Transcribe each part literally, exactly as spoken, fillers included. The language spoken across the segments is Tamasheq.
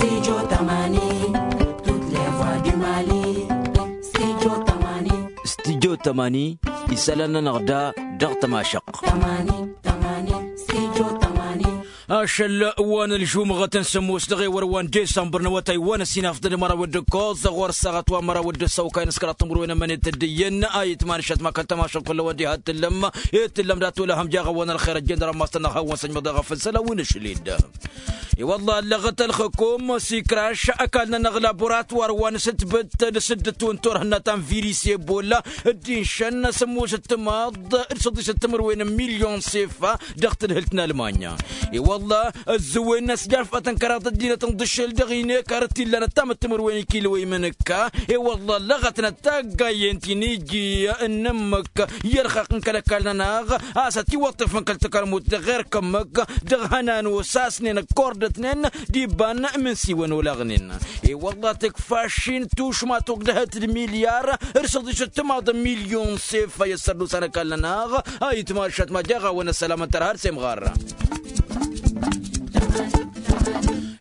Studio tămani. Tut levwa du mali. Studio tămani. Studio tămani. Isălan-nănăɣ da dăɣ-tămašăɣt. Tămani. Tămani. Studio tămani. Ašăl wa n-ălžumăɣăt n-sǝmmos dăɣ-ewăr wa n-disămbăr n-awătay wa n-ăsinafḍăn măraw d-ǝkkoẓ ɣur-săɣăt wa n-măraw d-ăssăwkay n-s kăraḍ timǝrwen ămănet d-iyyăn a itmanăšăt ma kăl-tămašăɣt kull-a-wa n-diha t-tǝllăm. I-tǝllăm dat-wăla hăm jaɣ-a-wa n-ălxer ăjjeen dăr-ămmas-tăn-dăɣ hawăn-săjmăḍ i-ɣăf n-isălan wi n-ašăl-dd. I-wălla ăllăɣăt ălxǝkum s-ikraš ăkall-nănăɣ laboratwar wa n-asǝtbǝt d-asǝddǝt wa n-turhǝnna ta n-viris ebola dd-inšăn sǝmmos d-timaḍ d-săḍisăt timǝrwen n-milyon s-efa dăɣ-tadhǝlt n-almanya. I-wălla ăzzăwen n-asjafăt n-kăraḍ ăddinăt n-ḍǝššel dăɣ-inekar t-illan ăttamăt timǝrwen ikilwăy mănăkka. I-wălla ăllăɣătnăt taggayen ti n-iji n-ǝmmǝk i-ărxaq n-kăl-ăkall-nănăɣ a-s ătiwăṭṭef n-kăl-takărmut dăɣ-erk ǝmmǝk dăɣ-hănan osasnen ăkkorătnen d-iba n-imǝnsiwăn olaɣnen. I-wălla tǝkfa ašin tušma togdăhăt d-milyar d-săḍisăt timaḍ n-milyon s-efa i-ăssărdusan ăkall-nănăɣ. A itmašat ma jaɣ-a-wen ăssălam n-tărha d-semɣar.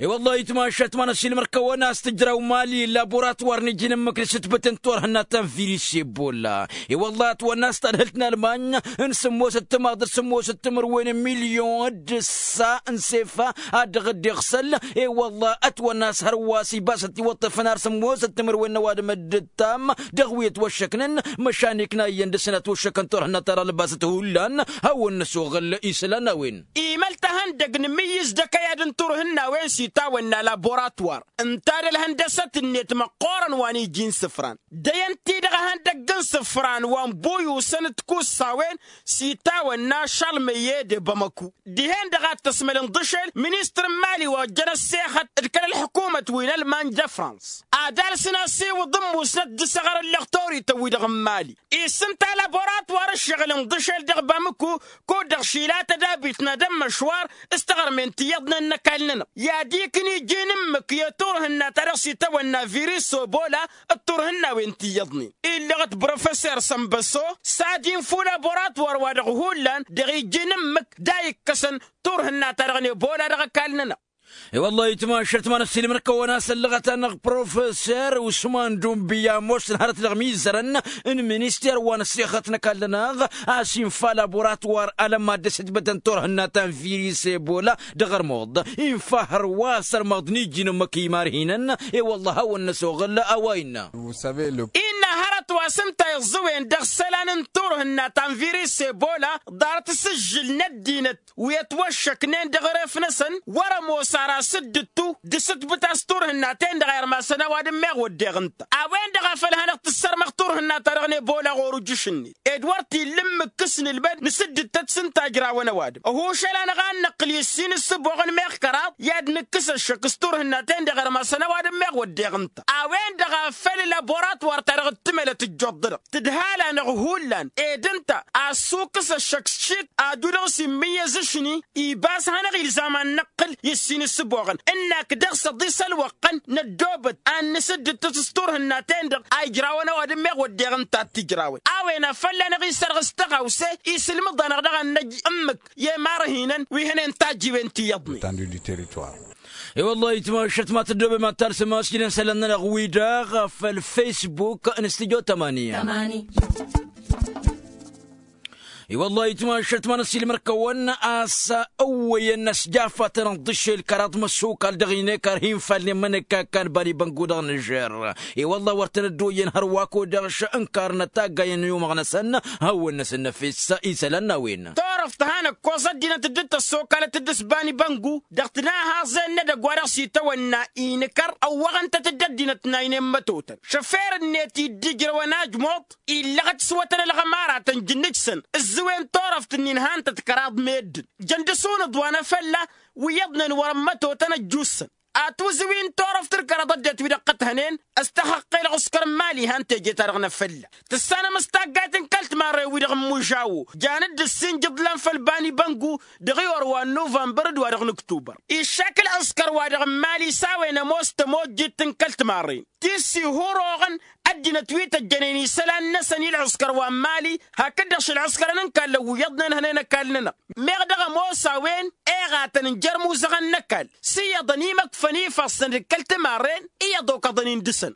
I-wălla itmašat ma n-ăsilmăr-kăwăn a-s tǝjraw mali laboratwar n-iji n-ǝmmǝk d-sǝtbǝt n-turhǝnna ta n-viris ebola. I-wălla ătwănna a-s tadhǝlt n-almany n-sǝmmos d-timaḍ d-sǝmmos d-timǝrwen n-milyon d-ǝssa n-sefa ad-dăɣ-dd-iɣsăl. I-wălla ătwănna a-s hărwa s-ibas ătiwăṭṭăfăn ar sǝmmos d-timǝrwen n-ăwadǝm d-ǝttam dăɣ-wi ătwăššăknen. Măšan ikna iyyăn dăr-săn ătwăššăkăn turhǝnna ta dăɣ-lăbasăt hullan. Hawăn-năsoɣăl isălan n-a-wen. Imăl tahăndăg n-imǝyyǝz d-akăyad n-turhǝnnawen s-itawănna laboratwar ǝnta d-ălhăndăsăt-net măqqoorăn wa n-iji n-isǝfran. Dăyăn-t-i-dăɣ ehăndăgg n-isǝfran wa n-buyusăn d-ikussa-wen s-itawănna šalmăyye d-ebămăku. Dihen-dăɣ a t-ăsmăl ǝnḍǝšel ministăr n-imali wa ojjăn ăssexăt d-kăl-ălḥǝkumăt wi n-ălmanj d-ăfrans ad-alsăn asiwǝḍ ǝmmusnăt d-asăɣăr ǝllăɣ torităn-wi-dăɣ n-imali. Isǝnta laboratwar ǝššăɣǝl ǝnḍǝšel dăɣ-bamǝku kud-dăɣ šilatăd abitnad ămmăšwar s-taɣărmen ti iyyăḍnen n-ăkall-nănăɣ i-ad-ikǝn iji n-ǝmmǝk i-turhǝnna ta dăɣ-s itawănna viris obola d-turhǝnnawen ti iyyăḍnen. Illăɣăt brofeser sănbăso s-ad-infǝw laboratwar wa dăɣ-hullan dăɣ-iji n-ǝmmǝk d-a ikkăsăn turhǝnna ta dăɣ-nebola dăɣ-ăkall-nănăɣ. I-wăllah itmašăt ma n-ăssiilmăr-kăwăn a-s ăllăɣăt-anăɣ profeser usman dunbi ămoosăn hărăt dăɣ-imizărăn n-minister wa n-ăssexăt n-ăkall-nănăɣ a-s infa laboratwar alămad d-asǝtbătăn turhǝnna ta n-viris ebola. Dăɣ-ărmuḍ infa hărwa s-ărmăḍ n-iji n-ǝmmǝk imarhinăn. I-wăllah a hawăn-năsoɣăl a-wa innă. Innă hărăt wa s-ǝnta iẓẓǝwen dăɣ-isălan n-turhǝnna ta n-viris ebola ḍarăt asǝžžǝl n-ăddinăt wi ătwăššăknen dăɣ-eref-năsăn wăr-ămoos ara s-dd-ǝttu d-asǝtbǝt a-s turhǝnna-ten-dăɣ a irmasăn ăwadǝm meɣ wădden ǝnta. A-wen-dăɣ a făl hanăɣ-tǝssărmăɣ turhǝnna-ta-dăɣ n-ebola ɣur-ujǝš-net ed wăr t-illa ǝmmǝk s-nǝlmăd nǝsǝddǝt-tăt s-ǝnta a ǝjrawăn ăwadǝm ăhušăl-anăɣ a n-năqqǝl i-ǝssin ǝssǝboɣăn meɣ kăraḍ i-ad-nǝkkǝs ăššăk s-turhǝnna-ten-dăɣ a irmasăn ăwadǝm meɣ wădden ǝnta. A-wen-dăɣ a făl laboratwar-ta-dăɣ dd-tǝmălăt ǝjjuḍ-dăɣ tǝdhal-anăɣ hullan ed ǝnta a ăssukǝs ăššăk s-išit ad-dd-udăɣ s-immǝyyăz ašni. Ibas hanăɣ-ilzam ad-năqqǝl i-ǝssin ǝssǝboɣăn ǝnnak dăɣ-s ăḍis ălwăqqăn năddoobăt ad-nǝsǝddǝt s-turhǝnna-ten-dăɣ a ijrawăn ăwadǝm meɣ wădden ǝnta a t-ijrawăn. A-wen a fălla-năɣ isărɣǝs tăɣawse isǝlmǝḍ-anăɣ dăɣ-ad-năj ǝmmǝk i-imarhinăn wi hănen tajjiwen ti iyyăḍnen. I-wăllah itmašăt ma tăddoobem ad-talsăm asjǝnen isălan-nănăɣ-wi-dăɣ făll-facebook n-studyo tămani. I-wăllah itmašăt ma n-ăssiilmăr-kăwăn a-s ăwwăyăn ăsjafatăn ănḍǝšel kăraḍ măsokal dăɣ-inekar hi-infalnen mănăkka ăkkan bani băngu dăɣ-nǝžer. I-wăllah wăr tăn-ăddoyyăn hărwa ăkk odăɣš ǝnkarnăt taggayen n-umăɣ-năsăn. Hawăn-năsăn năfes isălan n-a-wen. Turăft hanăɣ-ăkkoẓ ăddinăt dd-tăssokalăt d-s bani băngu dăɣ-tinahaẓen n-edăgg wa dăɣ-s itawănna inǝkăr ăwwăɣăn-tăt-dd ăddinăt n-a inen mătotăn šăfer-net i-dd-ijrăwăn ajmuḍ illăɣăt s-iwătăn ălɣămaratăn jǝnnǝj-săn. Ǝzzǝwen turăft-nin han-tăt kăraḍ meddǝn jăn dăr-s unǝḍwan afălla wi iyyăḍnen wăr-ămmătotăn ăjjussăn. Atwǝzǝw-in turăft d-kăraḍ ăddinăt wi dăɣ-tăt-hănen. S-tahăqqel ɣǝskăr n-imali han teje-ta-dăɣ n-afălla tǝssanăm s-taggayt n-kăl-timarren-wi-dăɣ n-mužawo. Jan dd-ǝssin jǝḍlan făll-bani băngu dăɣ-iwăr wa n-nuvănbăr d-wa dăɣ-nǝktubăr iššakǝl ăskăr wa dăɣ-n imali s-a-wen ămoos tămojjit n-kăl-timarren ti s-ihăroɣăn. ăddinăt wi tăjjănen isălan-năsăn i-ălɣǝskăr wa n-mali. Hakd-dăɣ šălɣǝskărăn n-kallăn wi iyyăḍnen hănen ăkall-nănăɣ meɣ dăɣ-ămoos a-wen, eɣatăn n-jer-imuzăɣăn n-ăkall s-iyyăḍăn imăkfăn ifassăn d-kăl-timarren iyyăḍ okăḍăn-in dăɣ-săn.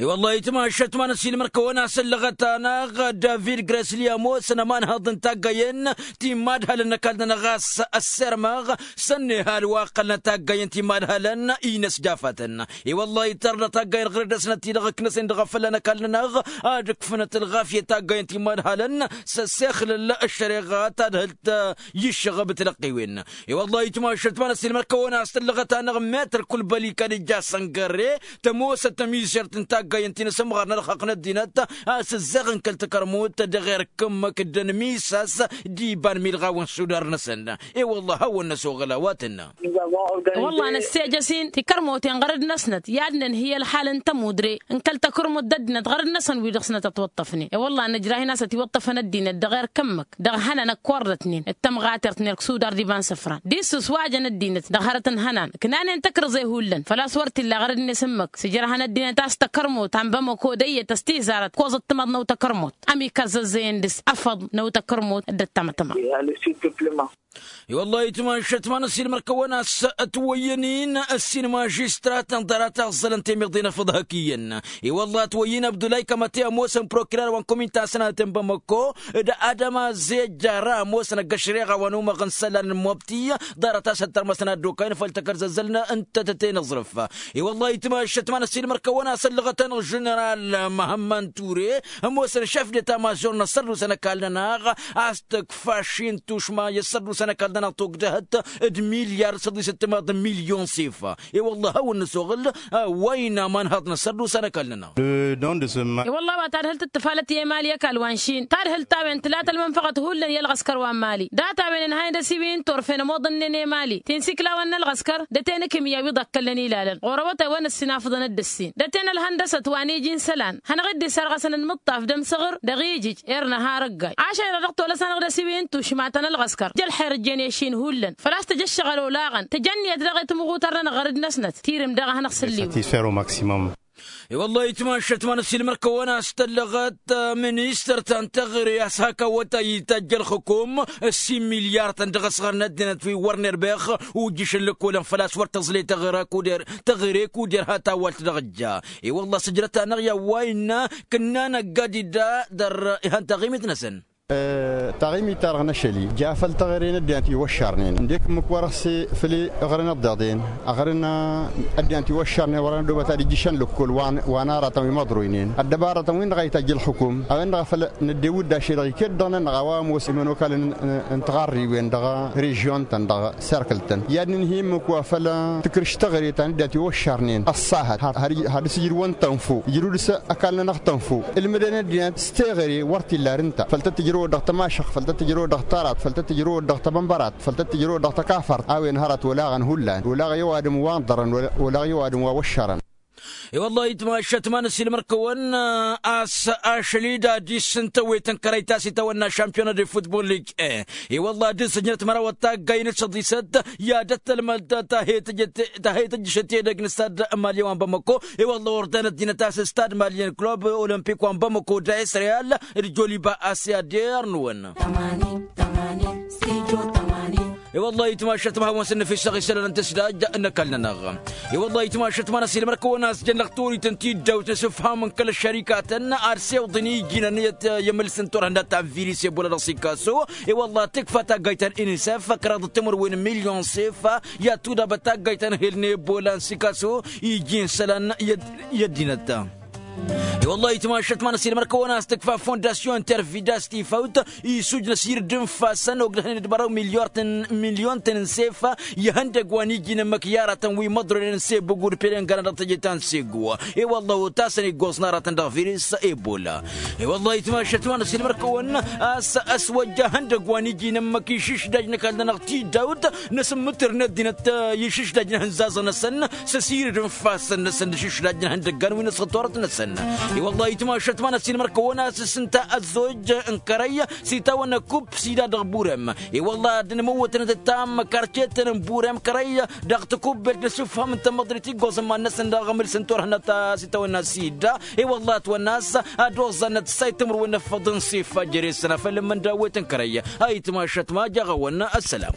I-wăllah itmašăt ma n-ăsiilmăr-kăwăn-as ăllăɣăt-anăɣ david gresli ămoosăn ămanhăḍ n-taggayen ti n-imadhălăn n-ăkall-nănăɣ a-s ăssirmăɣ s-ănnihal wa ăqqălnăt taggayen ti n-imadhălăn-i n-ăsjafatăn. I-wăllah itărnăt taggayen ɣăr-dd-ăsnăt-i-dăɣ ǝknăsen dăɣ-afălla n-ăkall-nănăɣ ad-ǝkfǝnăt ălɣafyăt taggayen ti n-imadhălăn s-ăssexlăl ăššăreɣa ta d-hăl t-iššăɣăb tilăqqiwen. I-wăllah itmašăt ma n-ăsiilmăr-kăwăn a-s tăllăɣăt-anăɣ metăr kulbăli kăl-ija săngărre tămoosăt tămizert n-taggayen ti n-asǝmɣar n-ălxaqq n-ăddinăt a-s ǝzzeɣ n-kăl-takărmut dăɣ-erk ǝmmǝk dd-ănmisas d-iba n-milɣawen sudar-năsăn. I-wăllah hawăn-năsoɣăl a-wa tǝnnă. I-wăllah năssejăs-in tikărmoten ɣărăd-năsnăt i-ad-nǝnhǝy ălxal n-tămudre n-kăl-takărmut d-ăddinăt ɣărăd-năsăn wi dăɣ-snăt ătwăṭṭăfnen. I-wăllah nǝjrah-in a-s ătiwăṭṭăfăn ăddinăt dăɣ-erk ǝmmǝk dăɣ-ihănan ăkkorrătnen d-tămɣatert n-erk sudar d-iba n-isǝfran d-isǝswajăn ăddinăt dăɣ-hărăt n-ihănan ǝknanen tăkrăẓe hullan făl-a-s wăr t-illa ɣărăd-net ǝmmǝk s-ǝjrăhăn ăddinăt a-s takărmot ta n-bamăko d-ăyyăt ăstizarăt koẓăt timaḍ n-awt takărmot. Ămik ăzzăzzăyăn dăɣ-s afăḍ n-awt takărmot dd-ăttămătăma. I-wăllah itmašăt ma n-ăsiilmăr-kăwăn a-s ătwăyyăn-in ăssin mažistratăn ḍarăt a ǝẓẓălăn temeḍe n-afăḍ hak iyyăn. I-wăllah ătwăyyăn abdulay kămăte ămoosăn prokirar wa n-kumin tasnatăn bamăko d-adăma zejjara ămoosăn ăgg-ăššăreɣa wa n-umăɣ n-isălan n-mobti ḍarăt a-s ăttărmăsăn ad-dd-okayăn făll-takărzăzzălnă n-tătăte n-aẓrǝf. I-wăllah itmašăt ma n-ăsiilmăr-kăwăn a-s ăllăɣăt-anăɣ ženeral măhămmăn ture ămoosăn šef d-eta mažor n-ăssărdusa n-ăkall-nănăɣ a-s tǝkfa ši n-tušma i-ăssărdusa n-ăkall-nănăɣ togdăhăt d-milyar d-săḍisăt timaḍ n-milyon s-ifa. I-wăllah a hawăn-năsoɣǝl a-wa innă amanhăḍ n-ăssărdusa n-ăkall-nănăɣ. I-wăllah a-wa tadhǝlt d-tǝfalăt i-emali ăkall wa n-šin tadhǝlt a-wen tǝla tălmănfăɣăt hullan i-ălɣăskăr wa n-mali data-wen ǝnhayăn d-asiwǝy n-turfen ămoḍănnen emali tinsiklawăn n-ălɣăskăr d-ătenăkǝmya wi ḍakkălnen ilalăn ɣur-awătay wa n-ǝssin afǝḍăn d-ǝssin d-ătenălhăndăsăt wa n-iji n-isălan hanăɣ-dd-isarɣăsăn ănmǝṭṭaf d-amsăɣăr dăɣ-ijǝj. Ernăha răggay ašăl-i-dăɣ tolăsănăɣ d-asiwǝy n-tušma ta n-ălɣăskăr jăl xer ǝjjen i-ašin hullan făl-a-s tǝjǝššăɣăl olaɣăn tǝjănniyăt daɣ i-timɣutar-nănăɣ ɣărăd-năsnăt tirǝm daɣ a hanăɣ-sǝlliwǝn. Satisfer au maximum. I-wăllah itmašăt ma n-ăsiilmăr-kăwăn a-s tăllăɣăt ministăr ta n-teɣăre a-s hak awătay itajj ălxukum ǝssin milyar-tăn dăɣ-asɣar n-ăddinăt wi wăr n-erbex ujjǝšăn lăkkolăn făl-a-s wăr tăẓle teɣăre kud-er teɣăre kud-er ha tawalt dăɣ-ǝjja. I-wăllah sǝjrăt-anăɣ i-a-wa innă kǝnna năgg-ad-idda dăr-ihăn taɣimit-năsăn. Taɣimit-ta-dăɣ n-ašăl-i ja făll-teɣăre n-ăddinăt iwăššarnen ǝndek ǝmmǝk wăr-ăssefăl i-ăɣrăn ăḍḍeḍen ăɣrăn ăddinăt iwăššarnen wăr-ănădobăt ad-ijjǝšăn lăkkol wa n-aratăn wi măḍroynen ăddăbarătăn-win-dăɣ a itajj ălxukum a-wen-dăɣ a făl năddew dd-ašăl-i-dăɣ iket-dăɣ-nănăɣ a-wa ămoos imănokalăn n-tiɣarriwen dăɣ-režion-tăn dăɣ-serkǝl-tăn i-ad-nǝnhǝy ǝmmǝk wa făl-tǝkrǝš teɣăre ta n-ăddinăt iwăššarnen ăṣṣahăt. Had-ǝssǝjrǝwăn tănfo ǝjrǝw dăɣ-s ăkall-nănăɣ tănfo ǝlmǝdăn ăddinăt s-teɣăre wăr t-illa ar ǝnta făl tăt-tǝjrăwăt dăɣ-tămašăɣt făl tăt-tǝjrăwăt dăɣ-tarat făl tăt-tǝjrăwăt dăɣ-tăbănbărat făl tăt-tǝjrăwăt dăɣ-tăkafărt. A-wen hărăt olaɣăn hullan olaɣ i-ăwadǝm wa ǝnḍărăn olaɣ i-ăwadǝm wa wăššărăn. I-wăllah itmašăt ma n-ăsiilmăr-kăwăn a-s ašăl-i d-ad-issǝntăwet n-kărăy ta s-itawănna šampiyona de futbol lig. I-wăllah dd-sǝjnăt mărawăt taggayen d-săḍisăt i-ad-ăttălmăd ta he-tǝjjăšăt edăgg n-stad malyen wa n-bamăko. I-wăllah ordan ăddinăt a-s stad malyen club olămpik wa n-bamăko d-a-s real d-joliba a-s i-ad-irnǝwăn. I-wăllah itmašăt ma hawăn-săn nǝfisăɣ isălan n-tǝsdaj n-ăkall-nănăɣ. I-wăllah itmašăt ma n-ăsiilmăr-kăwăn a-s jăn lăɣ torităn tiddawt n-asǝfham n-kăl-ăššărikatăn ad-sewḍǝn iji n-ănniyăt i-amǝlsǝn turhǝndat ta n-viris ebola dăɣ-sikaso. I-wăllah tǝkfa taggayt ta n-inisef kăraḍ d-timǝrwen n-milyon s-ifa i-ad-tudabăt taggayt ta n-ehel n-ebola n-sikaso iji n-isălan i-ăddinăt. I-wăllah itmašăt ma n-ăsiilmăr-kăwăn a-s tǝkfa fondasyon tervidas tifawt isujnăs ird n-ifassăn ogdăhnen d-bărăw milyon-tăn n-sefa. I-ihăndăgg wa n-iji n-ǝmmǝk i-aratăn wi măḍronen n-sebug udpelen găran dăɣ-teje ta n-segu. I-wălla otasăn iggoẓ n-aratăn dăɣ-viris ebola. I-wălla itmašăt ma n-ăsiilmăr-kăwăn a-s ăswăjja ihăndăgg wa n-iji n-ǝmmǝk išǝšdaj n-ăkall-nănăɣ tidawt n-asǝmmǝtǝr n-ăddinăt išǝšdaj n-ihǝnzaẓăn-năsăn s-asirǝd n-ifassăn-năsăn d-išǝšdaj n-ihăndăggan wi n-asăḍ turăt-năsăn. I-wălla itmašăt ma n-ăssiilmăr kăwăn-as s-ǝnta ăzzojj n-kărăy s-itawănna kup s-ida dăɣ-burem. I-wălla ad-dd-nǝmǝwwătăn d-ǝttam karcetăn n-burem kărăy dăɣ-tikubbelt n-asǝfham n-tămmăḍrit iggoẓ n-iman-năsăn dăɣ-aɣmǝl s-ǝnturhǝnăt s-itawănna s-idda. I-wălla ătwănna a-s ad-oẓẓannăt s-ayǝttǝmrǝwăn n-afăḍ n-sif. Jere-săn a făl ǝmmǝn dawwet n-kărăy a itmašăt ma jaɣ-awăn ăssălam.